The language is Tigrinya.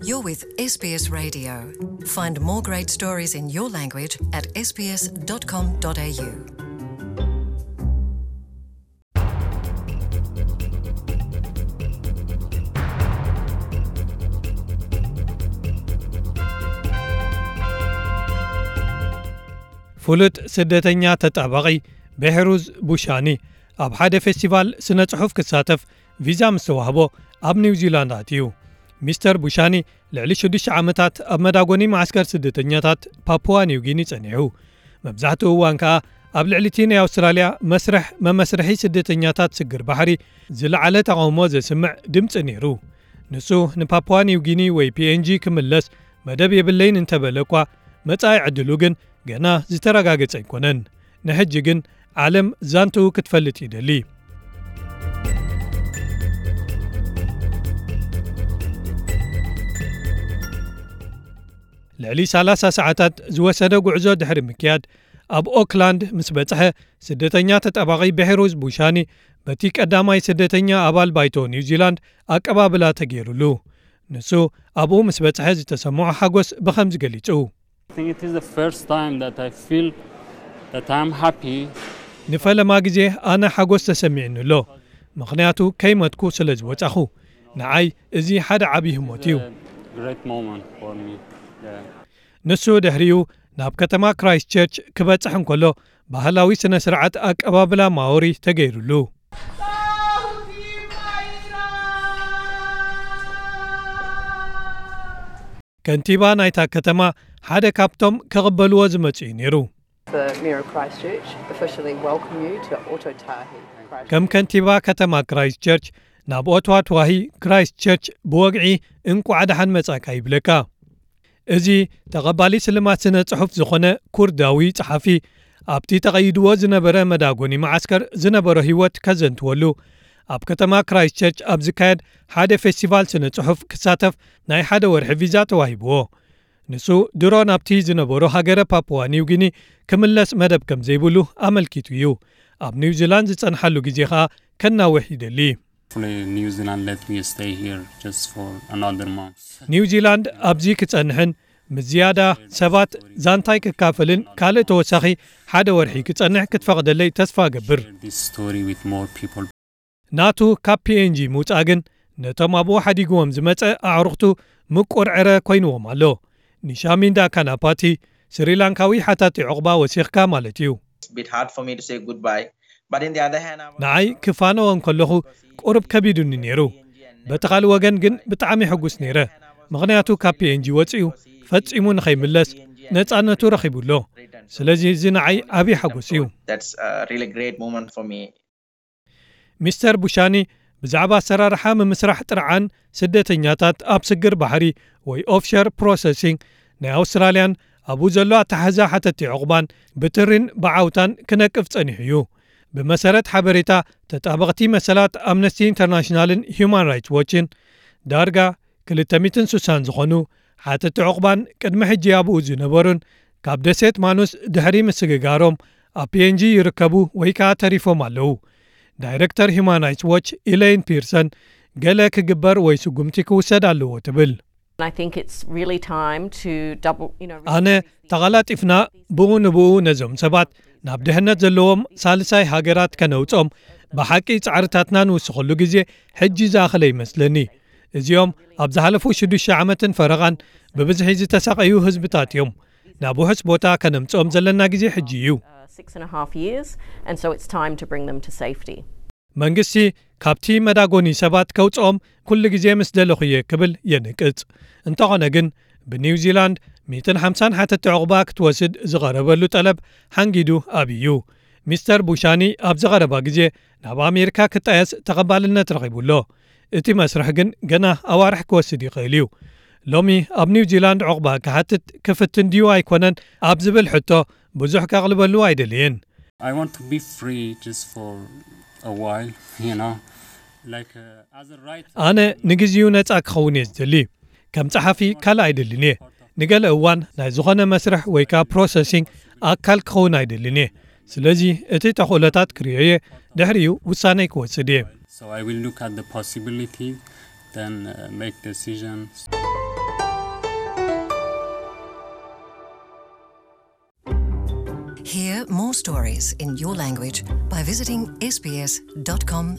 You're with S B S Radio. Find more great stories in your language at S B S dot com dot A U. ፍሉጥ ስደተኛ ተጣባቒ ቤሕሩዝ ቡሻኒ ኣብ ሓደ ፌስቲቫል ስነ ጽሑፍ ክሳተፍ ቪዛ ምስ ተዋህቦ ኣብ ኒውዚላንድ ኣትዩ። ሚስተር ቡሻኒ ልዕሊ ሽዱሽተ ዓመታት ኣብ መዳጎኒ መዓስከር ስደተኛታት ፓፑዋ ኒውጊኒ ጸኒሑ። መብዛሕትኡ እዋን ከኣ ኣብ ልዕሊ እቲ ናይ ኣውስትራልያ መስርሕ መመስርሒ ስደተኛታት ስግር ባሕሪ ዝለዓለ ተቓውሞ ዘስምዕ ድምጺ ነይሩ። ንሱ ንፓፑዋ ኒውጊኒ ወይ ፒ ኤን ጂ ክምለስ መደብ የብለይን እንተበለ እኳ፣ መጻኢ ዕድሉ ግን ገና ዝተረጋገጸ ኣይኮነን። ንሕጂ ግን ዓለም ዛንትኡ ክትፈልጥ ይደሊ። ልዕሊ ሰላሳ ሰዓታት ዝወሰደ ጉዕዞ ድሕሪ ምክያድ፣ ኣብ ኦክላንድ ምስ በጽሐ፣ ስደተኛ ተጣባቒ ቤሕሩዝ ቡሻኒ በቲ ቀዳማይ ስደተኛ ኣባል ባይቶ ኒውዚላንድ ኣቀባብላ ተገይሩሉ። ንሱ ኣብኡ ምስ በጽሐ ዝተሰምዖ ሓጎስ ብኸምዚ ገሊጹ። I think it is the first time that I feel that I'm happy. ንፈለማ ግዜ ኣነ ሓጎስ ተሰሚዕኒ ኣሎ፣ ምኽንያቱ ከይመትኩ ስለ ዝወጻኹ። ንዓይ እዚ ሓደ ዓቢ ህሞት እዩ። Great moment for me. Yeah. ንሱ ድሕሪኡ ናብ ከተማ ክራይስት ቸርች ክበጽሕ እንከሎ፣ ባህላዊ ስነ ስርዓት ኣቀባብላ ማኦሪ ተገይሩሉ። ከንቲባ ናይታ ከተማ ሓደ ካብቶም ክቕበልዎ ዝመጹ እዩ ነይሩ። The Mayor of Christchurch officially welcome you to Ōtōtahī Christchurch. ከም ከንቲባ ከተማ ክራይስት ቸርች ናብ ኦትዋትዋሂ ክራይስት ቸርች ብወግዒ እንቋዕ ደሓን መጻእካ ይብለካ። እዚ ተቐባሊ ስልማት ስነ ጽሑፍ ዝኾነ ኩርዳዊ ጸሓፊ፣ ኣብቲ ተቐይድዎ ዝነበረ መዳጎኒ መዓስከር ዝነበሮ ህይወት ከዘንትወሉ፣ ኣብ ከተማ ክራይስት ቸርች ኣብ ዝካየድ ሓደ ፌስቲቫል ስነ ጽሑፍ ክሳተፍ ናይ ሓደ ወርሒ ቪዛ ተዋሂብዎ። ንሱ ድሮ ናብቲ ዝነበሮ ሃገረ ፓፑዋ ኒውጊኒ ክምለስ መደብ ከም ዘይብሉ ኣመልኪቱ እዩ። ኣብ ኒውዚላንድ ዝጸንሓሉ ግዜ ኸኣ ከናውሕ ይደሊ። Hopefully, New Zealand let me stay here just for another month. ኒውዚላንድ ኣብዚ ክጸንሕን ምስ ዝያዳ ሰባት ዛንታይ ክካፈልን ካልእ ተወሳኺ ሓደ ወርሒ ክጸንሕ ክትፈቕደለይ ተስፋ እገብር። Share this story with more people. ናቱ ካብ ፒ ኤን ጂ ምውጻእ ግን ነቶም ኣብኡ ሓዲግዎም ዝመጸ ኣዕሩኽቱ ምቁር ዕረ ኮይንዎም ኣሎ። ኒሻሚንዳ ካናፓቲ ስሪላንካዊ ሓታቲ ዑቕባ ወሲኽካ ማለት እዩ። It's a bit hard for me to say goodbye. But in the other hand, I was ንዓይ ክፋነዎ እንከለኹ ቁሩብ ከቢዱኒ ነይሩ። በቲ ካልእ ወገን ግን ብጣዕሚ ሕጉስ ነይረ። ምኽንያቱ ካብ ፒ ኤን ጂ ወጺኡ ፈጺሙ ንኸይምለስ ነጻነቱ ረኺቡ ኣሎ። ስለዚ እዚ ንዓይ ዓቢ ሓጎስ እዩ። That's a really great moment for me. ሚስተር ቡሻኒ ብዛዕባ ኣሰራርሓ ምምስራሕ ጥርዓን ስደተኛታት ኣብ ስግር ባሕሪ ወይ ኦፍሸር ፕሮሰሲንግ ናይ ኣውስትራልያን ኣብኡ ዘሎ ኣተሓሕዛ ሓተቲ ዑቕባን ብትሪን ብዓውታን ክነቅፍ ጸኒሑ እዩ። ብመሰረት ሓበሬታ ተጣበቕቲ መሰላት ኣምነስቲ ኢንተርናሽናልን ሂዩማን ራይትስ ዎችን፣ ዳርጋ ክልተ ሚእትን ስሳን ዝኾኑ ሓተቲ ዑቕባን ቅድሚ ሕጂ ኣብኡ ዝነበሩን ካብ ደሴት ማኑስ ድሕሪ ምስግጋሮም ኣብ ፒ ኤን ጂ ይርከቡ ወይ ከኣ ተሪፎም ኣለዉ። ዳይረክተር ሂዩማን ራይትስ ዎች ኢለይን ፒርሰን፣ ገለ ክግበር ወይ ስጉምቲ ክውሰድ ኣለዎ ትብል። I think it's really time to double, you know, ኣነ ተቐላጢፍና ብኡ ንብኡ ነዞም ሰባት ናብ ድሕነት ዘለዎም ሳልሳይ ሃገራት ከነውጾም ብሓቂ ጻዕርታትና ንውስኸሉ ግዜ ሕጂ ዝኣኸለ ይመስለኒ። እዚኦም ኣብ ዝሓለፉ ሽዱሽተ ዓመትን ፈረቓን ብብዝሒ ዝተሳቐዩ ህዝብታት እዮም። ናብ ውሑስ ቦታ ከነምጽኦም ዘለና ግዜ ሕጂ እዩ። Uh, six and a half years, and so it's time to bring them to safety. መንግስቲ ካብቲ መዳጎኒ ሰባት ከውጽኦም ኩሉ ግዜ ምስ ደለኹ እየ ክብል የንቅጽ። እንተኾነ ግን ብኒውዚላንድ ሚእትን ሓምሳን ሓተቲ ዑቕባ ክትወስድ ዝቐረበሉ ጠለብ ሓንጊዱ ኣብዩ። ሚስተር ቡሻኒ ኣብ ዝቐረባ ግዜ ናብ ኣሜሪካ ክጣየስ ተቐባልነት ረኺቡ ኣሎ። እቲ መስርሕ ግን ገና ኣዋርሕ ክወስድ ይኽእል እዩ። ሎሚ ኣብ ኒውዚላንድ ዑቕባ ክሓትት ክፍትን ድዩ ኣይኮነን ኣብ ዝብል ሕቶ ብዙሕ ከቕልበሉ ኣይደልየን። I want to be free just for a while, you know, like, uh, as a writer. ኣነ ንግዜኡ ነጻ ክኸውን እየ ዝደሊ። ከም ጸሓፊ ካልእ ኣይደልን እየ። ንገለ እዋን ናይ ዝኾነ መስርሕ ወይ ከኣ ፕሮሰሲንግ ኣካል ክኸውን ኣይደልን እየ። ስለዚ እቲ ተኽእሎታት ክርእዮ እየ፣ ድሕሪኡ ውሳነይ ክወስድ እየ። So I will look at the possibility, then, uh, make decisions. Hear more stories in your language by visiting sbs.com.au.